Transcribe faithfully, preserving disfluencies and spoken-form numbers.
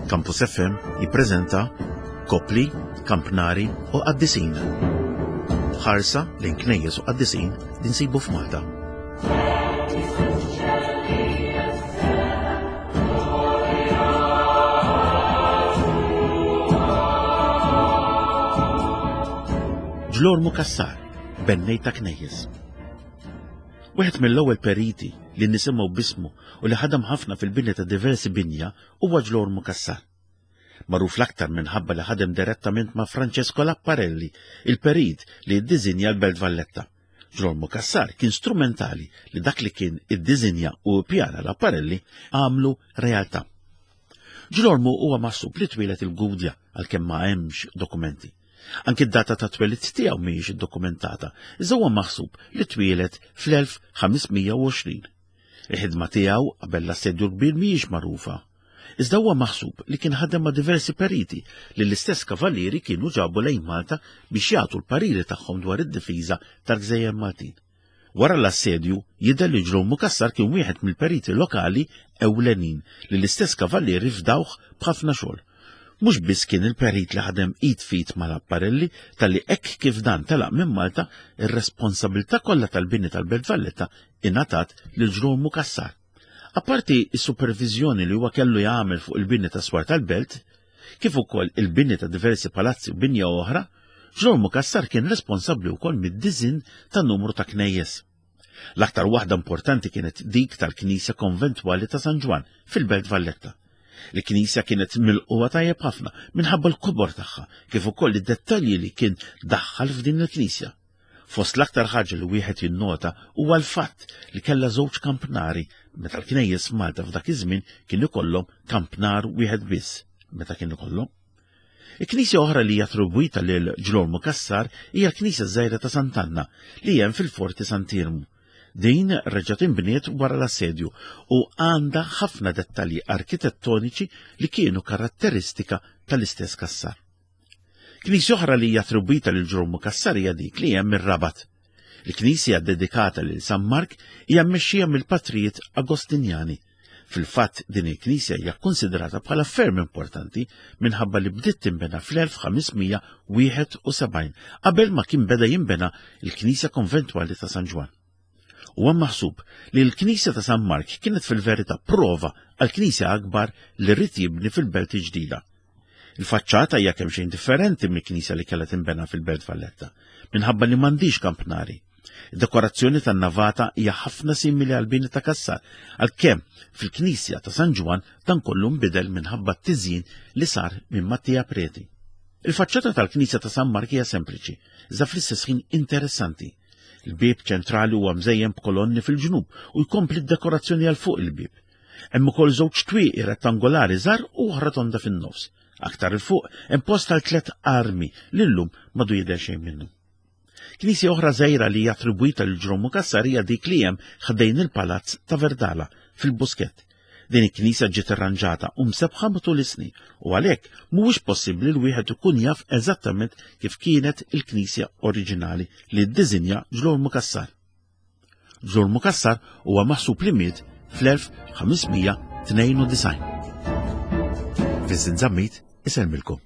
Campus F M jippreżenta Kopli, Kampnari u Qaddisin. Ħarsa lejn knejjes u qaddisin li nsibu f'Malta. Ġlormu Cassar, bennej ta' knejjes. Wieħed mill-ewwel periti li nisimgħu bismu u li ħadem ħafna fil-bini ta' diversi binja huwa Ġlormu Cassar. Magħruf l-aktar minħabba li ħadem direttament ma' Francesco Laparelli, il-perit li ddisinja l-Belt Valletta. Ġlormu Cassar kien strumentali li dak li kien iddisinja u pjana Laparelli għamlu realtà. Ġlormu huwa maħsub li twieled il-Gudja, għalkemm ma hemmx dokumenti. Anki d-data ta' twelid tiegħu mhijiex iddokumentata, iżda huwa maħsub li twieled fl-elf ħames mija u għoxrin. Il-ħidma tiegħu qabel l-assedju kbir mhijiex magħrufa. Iżda huwa maħsub li kien ħadem ma' diversi periti li l-istess kavallieri kienu ġabu lejn Malta biex jagħtu l-pariri tagħhom dwar id-difiża tal-Gżejjer Maltin. Wara l-assedju jidher li Ġlormu Cassar kien wieħed mill-periti lokali ewlenin li l-istess kavallieri fdawh b'ħafna xogħol. Mhux biss kien il-perit li ħadem id f'id mal-Laparelli, talli hekk kif dan telaq minn Malta, ir-responsabilità kollha tal-bini tal-Belt Valletta ingħatat lil Ġlormu Cassar. Apparti is-supervizjoni li huwa kellu jagħmel fuq il-bini ta' swar tal-belt, kif ukoll il-bini ta' diversi palazzi u binja oħra, Ġlormu Cassar kien responsabbli wkoll mid-diżinn ta' numru ta' knejjes. L-aktar waħda importanti kienet dik tal-Knisja Konventwali ta' San Ġwan fil-Belt Valletta. Il-knisja kienet milqugħa tajjeb ħafna minħabba l-kobor tagħha, kif ukoll id-dettalji li kien daħħal f'din il-knisja. Fost l-aktar ħaġa li wieħed jinnota huwa l-fatt li kellha żewġ kampnari, meta l-knejjes f'Malta f'dak iż-żmien kien ikollhom kampnar wieħed biss meta kien ikollhom. Il-knisja oħra li hija attribwita lil Ġlormu Cassar hija l-Knisja Żgħira ta' Sant'Anna li hemm fil-Forti Sant'Iermu. Din reġgħet inbniet wara l-assedju u għandha ħafna dettalji arkitettoniċi li kienu karatteristika tal-istess Cassar. Knisja oħra li hija attribwita lil Ġlormu Cassar hija dik li hemm ir-Rabat. Il-knisja dedikata lil San Mark hija mmexxija mill-patrijiet Agostinjani. Fil-fatt, din il-knisja hija konsiderata bħala ferm importanti minħabba li bdiet tinbena fl-elf ħames mija wieħed u sebgħin, qabel ma kien beda jinbena il-Knisja Konventwali ta' San Ġwan. Huwa maħsub li l-Knisja ta' San Mark kienet fil-verità prova għal knisja akbar li ried jibni fil-Belt Ġdida. Il-faċċata hija kemm xejn differenti mill-knisja li kellha tinbena fil-Belt Valletta, minħabba li m'għandix kampnari. Id-dekorazzjoni tan-navata hija ħafna simili għal bini ta' Cassar, għalkemm fil-Knisja ta' San Ġwan dan kollu nbidel minħabba t-tiżjin li sar minn Mattia Preti. Il-faċċata tal-Knisja ta' San Mark hija sempliċi, iżda fl-istess ħin interessanti. Il-bieb ċentrali huwa mżejjen b'kolonni fil-ġnub u jkompli d-dekorazzjoni għal fuq il-bieb. Hemm ukoll żewġ twieqi rettangolari żgħar u oħra tonda fin-nofs. Aktar 'il fuq hemm post għal tliet armi li llum m'għadu jidher xejn minnu. Knisja oħra żgħira li hija attribwita lil Ġlormu Cassar hija dik li hemm ħdejn il-Palazz ta' Verdala fil-Buskett. Din il-knisja ġiet irranġata u msebħa matul is-snin u għalhekk mhuwiex possibbli li wieħed ikun jaf eżattament kif kienet il-knisja oriġinali li ddisinja Ġlormu Cassar. Ġlormu Cassar huwa maħsub li miet fl-elf ħames mija tnejn u disgħin. Vincent Zammit isellmilkom.